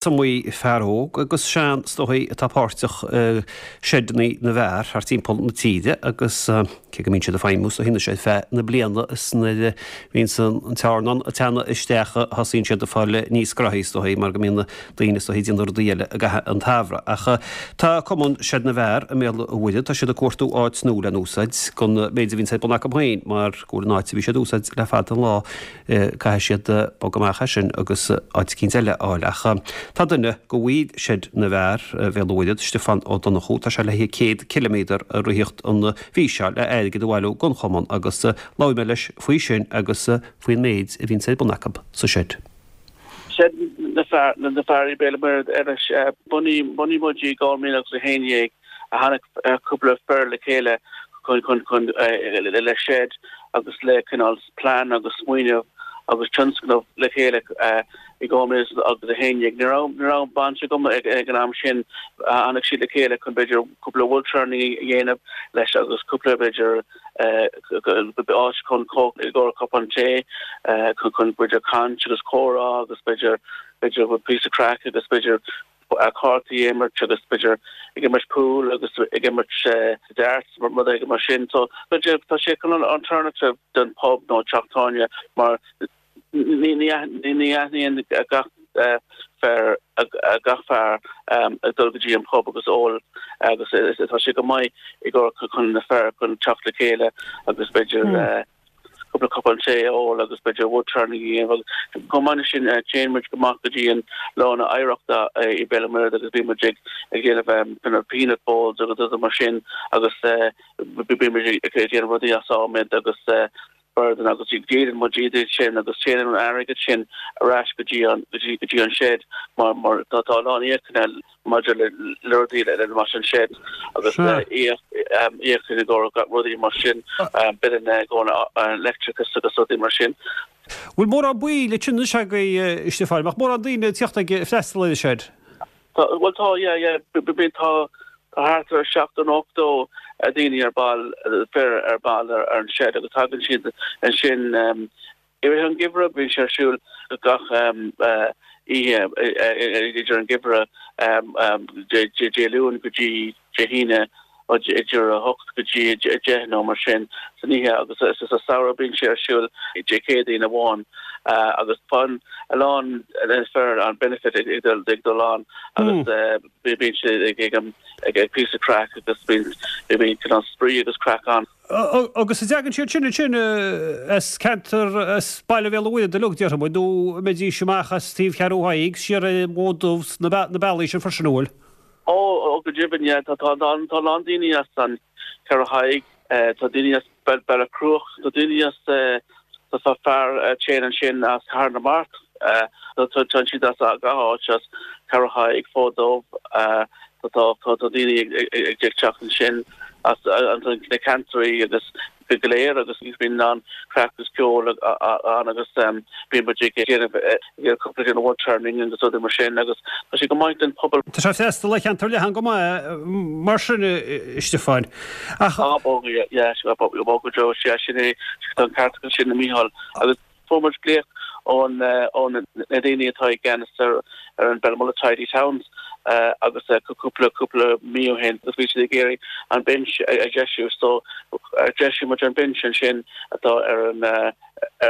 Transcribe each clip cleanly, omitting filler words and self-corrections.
Is iomaí fear óg agus sean is dóichí atá páirteach i seideanna na bhfear thart timpeall na tíre agus cé go mbíonn siad ag feidhmiú is dóichí anois ar feadh na bliana is nuair a bhíonns an tearnán ag teannadh isteach a thosaíonn siad ag fáil níos gnoithí is dóichí mar go mbíonn na daoine is dóichí ag déanamh rudaí eile i gcaitheamh an tsamhraidh. Ach tá Cumann Seid na bhFear i mBéal an Mhuirthead, tá siad ag cuartú áit nua le n-úsáid don méid a bhíonns ar bun acu féin mar go bhfuil an áit a bhí siad ag úsáid le fada an lá Caithfidh siad bogadh amach as sin agus áit eicínt eile a fháil. Ach tá duine de bhaill Seid na bhFear, Bhéal an Mhuirthead, Stiofán Ó Donnchú, tá sé le 100 ciliméadar a ritheacht an mhí seo le airgead a bhailiú don chumann agus labhair mé leis faoi sin agus faoin méid a bhíonns ar bun acu sa seid. Seid na bhFear i Béal an Mhuirthead anois, bunaíodh muid i 2011 a tháinig cúpla fear le chéile chun chun le seid agus le cineál plean agus smaoineamh agus tionscnamh le chéile i 2011. Ní raibh ní raibh baint agam ag an am sin. Tháinig siad le chéile chun b'fhéidir cúpla woodturning a dhéanamh leis agus cúpla b'fhéidir áit chun i gcomhair cupán tae chun b'fhéidir caint agus comhrá agus b'fhéidir b'fhéidir píosa craic agus b'fhéidir cártaí a imirt agus b'fhéidir ag imirt pool agus ag imirt darts rud éigin mar sin. So tá sé cineál alternative don pub nó teach tábhairne mar ní aithníonn gach fear gach fear ag dul go dtí an pub agus ól agus tá sé go maith i gcomhair chun na fear chun teacht le chéile agus b'fhéidir cúpla cupán tae a ól agus b'fhéidir wood turning a dhéanamh agus chomh maith leis sin téann muid amach go dtí an Lá na Oidhreachta i Béal an Mhuirthead agus bíonn muid ag ag déanamh kind of peanut bowls agus rudaí mar sin agus bíonn muid ag déanamh rudaí as adhmad agus boird agus díolann muid iad sin agus téann an airgead sin ar ais go dtí an go dtí go dtí an shed mar mar tá tá a lán íocanna maidir le rudaí le mar sin shed agus íoc i gcomhair rudaí mar sin billeanna i gcomhair leictreachas agus rudaí mar sin. Bhfuil mórán baill ansin anois agaibh, a Stiofáin? Mbeadh mórán daoine ag tíocht ag freastal ar an shed? Tá, bhuel tá, yeah, yeah, bíonn, tá thart ar 70 nó 80 daoine ar ball, fir ar ball ar an shed agus tagann siad ansin I rith an gheimhridh, bíonn sé ar siúl gach oíche idir an geimhreadh, Dé Luain go dtí Dé hAoine, idir 8 go dtí 10 nó mar sin san oíche agus sa samhradh bíonn sé ar siúl Dé Céadaoin amháin agus faigheann a lán fear an benefit ag dul ann agus bíonn sé ag píosa craic agus bíonn cineál spraoi agus craic ann. Agus an dtagann siad sin ansin as ceantar, as baile Bhéal an Mhuirthead uilig, déarfaidh muid, nó an mbeidís amach as taobh Cheathrú Thaidhg, siar ar an bhFód Dubh, na bealaí sin freisin, an bhfuil? Ó, ó, go deimhin, yeah. Tá, tá, tá a lán daoine as an Cheathrú Thaidhg, tá daoine as Bealach Cruach, tá daoine as, tá fear a téann ansin as Cathair na Mart, tá, tá siad as gach áit, as Ceathrú Thaidhg, Fód Dubh, Tá daoine ag teacht ansin as na ceantraí agus go léir agus bíonn an craic agus ceol ann agus bíonn muid ag déanamh cúpla den wood turning agus rudaí mar sin agus tá sé go maith don pobal. Tá sé ag freastal ar cheantar leathan go maith mar sin, a Stiofáin. Ach. Á, bog, yeah, bog go deo, sea, sin é, tá an ceart agat sin, a Mhícheáil. Agus. Fuair muid glaoch ó na daoine atá i gceannas ar ar an Belmullet Tidy Towns agus cúpla cúpla mí ó shin agus bhí siad ag iarraidh an binse a dheisiú so dheisigh muid an binse ansin atá ar an ar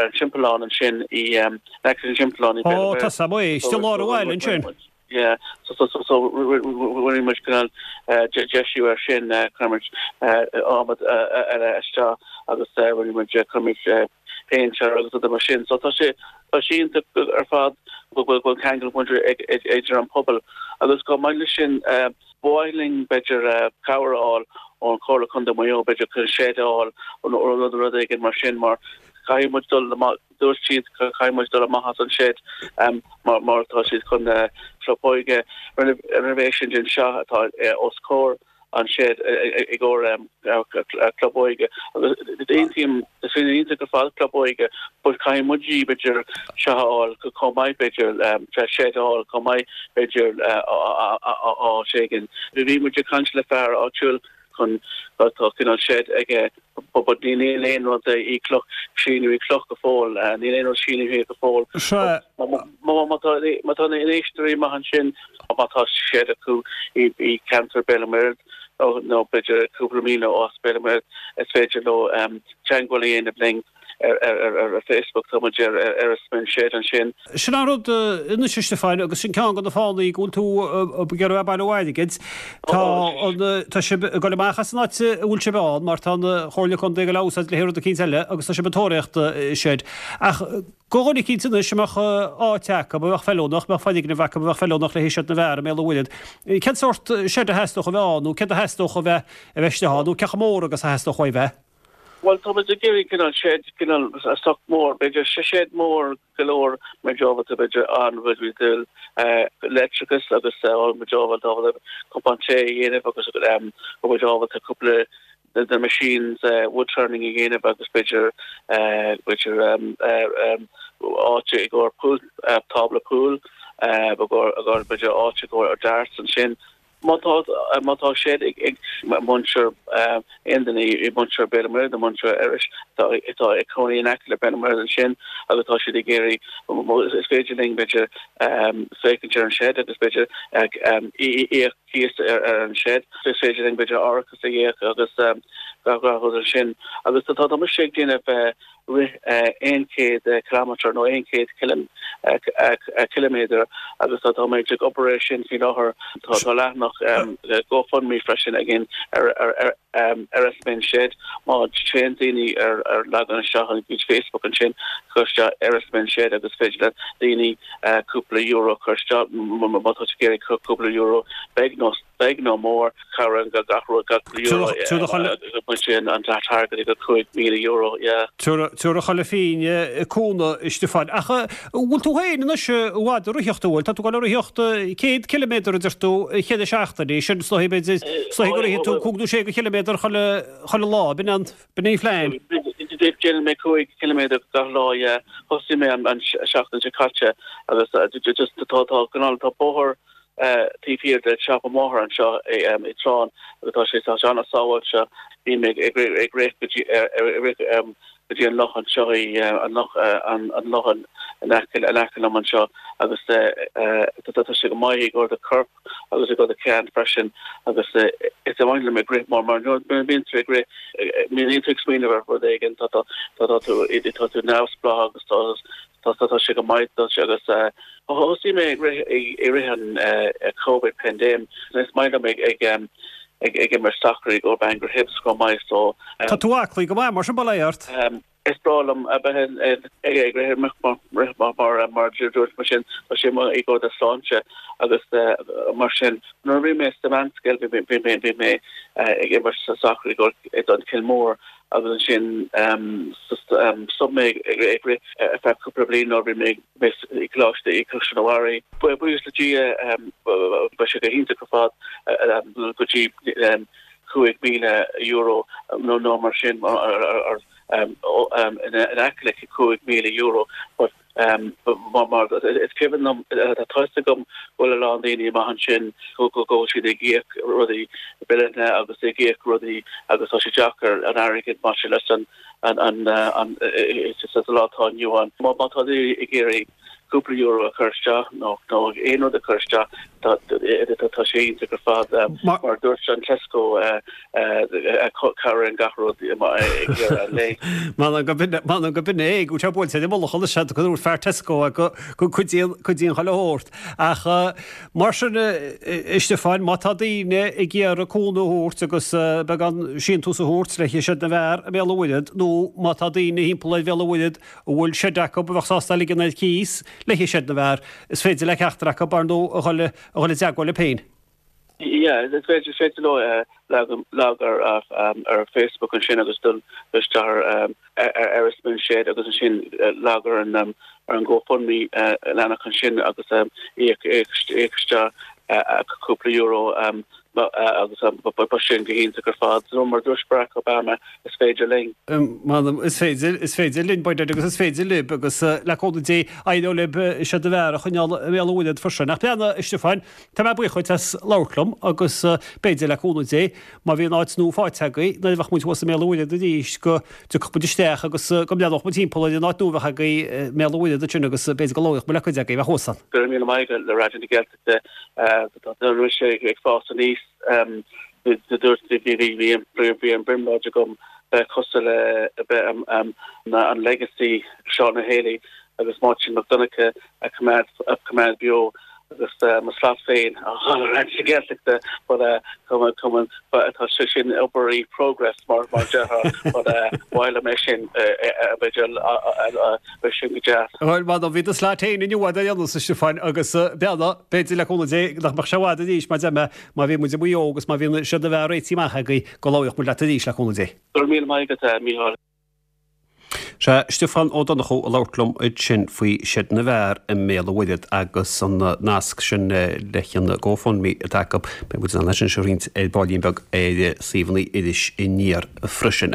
an timpeallán ansin i in aice an timpeallán i Ó tá sam é istigh i lár an bhaile ansin. Yeah so so so so rinne muid cineál deisiú ar sin chuir muid adhmad eile isteach agus rinne muid chuir muid péint air agus rudaí mar sin. So tá sé tá sé iontach ar fad go bhfuil go bhfuil ceangal muid ag idir an pobal agus chomh maith leis sin ba mhaith linn b'fhéidir cabhair a fháil ón Chomhairle Contae Mhaigh Eo b'fhéidir chun shed a fháil nó rud rud éigin mar sin mar caithfidh muid dul Dúirt siad go caithfidh muid dul amach as an shed mar tá siad chun club óige renovation den seo atá os comhair an shed i gcomhair club óige agus aontaím is féidir iontach ar fad club óige but caithfidh muid b'fhéidir seo a fháil chomh maith b'fhéidir shed a fháil chomh maith b'fhéidir áit éigin. Bhí muid ag caint le fear áitiúil. chun tá cineál shed aige but níl aon rud i cloch sínithe i cloch go fóill níl aon rud sínithe go fóill. Sea. Má tá má tá na éisteoirí maith ansin má tá shed acu i i ceantar Béal an Mhuirthead nó nó b'fhéidir cúpla míle ó as Béal an Mhuirthead is féidir leo teagmháil a dhéanamh linn ar Facebook, tá muid ar Erris Men's Shed ansin. Sin an rud anois a Stiofáin, agus sin ceann de na fáthanna go bhfuil tú ag iarraidh bailiú airgid. Tá an, tá sibh ag dul amach as an áit a bhfuil sibh ann mar tá an Chomhairle Contae ag dul á úsáid le haghaidh rud eicínt eile agus tá sibh ag tóraíocht shed. Ach do dhuine eicínt anois a mbeadh áit acu, a bheadh feiliúnach, a mbeadh foirgneamh acu a bheadh feiliúnach le haghaidh seid na bhfear i mBéal an Mhuirthead, cén sórt shed a theastódh a bheith ann nó céard a theastódh a bheith a bheith istigh ann nó cé chomh mór agus a theastódh uaidh a bheith? Bhuel, tá muid ag iarraidh cineál shed, cineál sách mór, b'fhéidir, shed mór go leor, muid ábalta, b'fhéidir, an-bhuel leictreachas agus muid ábalta cupán tae a dhéanamh agus go muid ábalta cúpla de na machines wood turning a dhéanamh agus b'fhéidir, b'fhéidir áit i gcomhair pool, tábla pool, i gcomhair b'fhéidir áit i gcomhair darts ansin. Má tá, má tá shed ag muintir, aon duine i muintir Béal an Mhuirthead nó muintir Iorrais atá, atá ag cónaí in aice le Béal an Mhuirthead ansin agus tá siad ag iarraidh, is féidir linn b'fhéidir féachaint ar an shed agus b'fhéidir íoc cíos ar an shed. Is féidir linn b'fhéidir árachas a íoc agus gach rud ansin. Agus tá, tá mise ag déanamh rith 100 kilometre nó 100 ciliméadar agus tá mé ag obair air sin faoi láthair. Tá leathanach GoFundMe freisin againn ar Erris Men's Shed. Má téann daoine ar leagan isteach an gcuid Facebook ansin, cuir isteach Erris Men's Shed agus féidir le daoine cúpla euro a chur isteach má tá tú ag iarraidh cúpla euro beag nó Beag nó mór, cabhraíonn gach rud, gach euro, baint sin an t-airgead go €5,000, yeah. Tabharfaidh chuile phingin cúnamh, a Stiofáin. Ach an bhfuil tú féin anois i bhfad ag ritheacht, an bhfuil? Tá tú ag dul ag ritheacht 100 ciliméadar a deir tú chuile seachtain, sin is dóichí b'fhéidir, is dóichí go rithfidh tú cúig nó sé de chiliméadar chuile, chuile lá, b'in an, b'in an phlean? Déanann mé 5 ciliméadar gach lá, yeah. Thosaigh mé an seachtain seo caite agus just tá, tá, tá bóthar, taobh thiar de siopa mo mháthar anseo i dTrán agus tá sé tá sé an-sábháilte. Bím ag ag rith go dtí rith go dtí an loch anseo i an loch an loch in aice in aice liom anseo agus tá sé go maith i gcomhair do chorp agus i gcomhair do cheann freisin agus is maith liom ag rith mar mar nuair a bhíonn tú ag rith bíonn tú ag smaoineamh ar rud éigin tá tá tá tú tá tú neamhspleách agus tá Tá tá sé go maith duit agus thosaigh mé ag rith i rith an Covid pandemic. Is maith liom ag ag ag ag imirt sacair i gcomhair Bangor Hibs chomh maith so. Tá tú aclaí go maith mar sin bail ó Dhia ort. Is breá liom a bheith ag ag rith rith mar mar mar dúirt mar sin tá sé maith i gcomhair do sláinte agus mar sin nuair a bhí mé sa mheánscoil bhí bhí mé bhí mé ag imirt sacair i gcomhair don Chill Mór agus ansin stop mé ag rith ar feadh cúpla bliain nuair a bhí mé i gcoláiste i Caisleán an Bharraigh. Buíochas le Dia beidh sé go hiontach ar fad go dtí €5,000 nó mar sin in aice le €5,000 but Mar is cuimhin liom, tá fhios agam go bhfuil a lán daoine amach ansin go bhfuil siad ag íoc rudaí, billeanna agus ag íoc rudaí agus tá sé deacair an airgead maidir leis an sa lá atá inniu ann. Má tá daoine ag iarraidh cúpla euro a chur isteach nó aon rud a chur isteach, tá sé iontach ar fad. Mar a dúirt an Tesco, Cabhraíonn gach rud ag deireadh an lae. M'anam go b'in, m'anam go b'in é, go bhfuil sé buailte ar an mullach anois go ndúirt fear Tesco go gcuidíonn, cuidíonn chuile shórt. Ach mar sin, a Stiofáin, má tá daoine ag iarraidh cúnamh a thabhairt agus beagán síntiús a thabhairt le Seid na bhFear i mBéal an Mhuirthead nó má tá daoine thimpeall ar Bhéal an Mhuirthead a bhfuil seid acu a bheadh sásta a ligean ar cíos le haghaidh Seid na bhFear, is féidir le ceachtar acu, ar ndóigh, a dhul, a dhul i dteagmháil libh féin. Yeah, is féidir, is féidir leo lag ar ar Facebook ansin agus dul isteach ar ar Erris Men's Shed agus ansin lag ar an ar an GoFundMe leathanach ansin agus íoc íoc isteach cúpla euro. Agus b'shin go hiontach ar fad. So mar dúirt Barack Obama, is féidir linn. M'anam, is féidir, is féidir linn, by dad, agus is féidir libh, agus le cúnamh Dé, éireoidh libh seid na bhfear a choinneáil i mBéal an Mhuirthead freisin. Ach breathnaigh, a Stiofáin, tá mé buíoch dhuit as labhairt liom, agus b'fhéidir, le cúnamh Dé, má bhíonn áit nua faighte agaibh, nuair a bheadh muid thuas i mBéal an Mhuirthead arís, go dtiocfadh muid isteach agus go mbreathnódh muid timpeall ar an áit nua a bheadh agaibh i mBéal an Mhuirthead ansin agus b'fhéidir go labhródh muid le cuid agaibh a bheadh thuas ann. Go raibh míle maith agat le Raidió na Gaeltachta. Tá mise ag fás aníos. Dúirt bhí an brionglóid agam bheith cosúil le bheith an legacy Seán Ó Héalaí agus Máirtín Mac Donncha a choimeád beo agus mo slat féin a fháil ar Raidió na Gaeltachta but tá sé sin obair i progress mar a déarfá but ba mhaith liom é sin b'fhéidir Beidh sin go deas. Bhuel, m'anam, bhí do slat féin inniu ar aon nós, a Stiofáin, agus breathnaigh, b'fhéidir, le cúnamh Dé, nach mbeadh sé i bhfad arís, mar deir mé, má bhí muid i Maigh Eo agus má bhíonn seid na bhfear réitithe amach agaibh, go labhródh muid leat arís, le cúnamh Dé. Go raibh míle maith agat, a Mhícheáil. Sea, Stiofán Ó Donnchú ag labhairt liom ansin faoi Seid na bhFear i mBéal an Mhuirthead agus an nasc sin leis an GoFundMe atá acu. Beidh muid in ann é sin a roinnt ar baillín beag ar suíomhanna Iris Aniar freisin.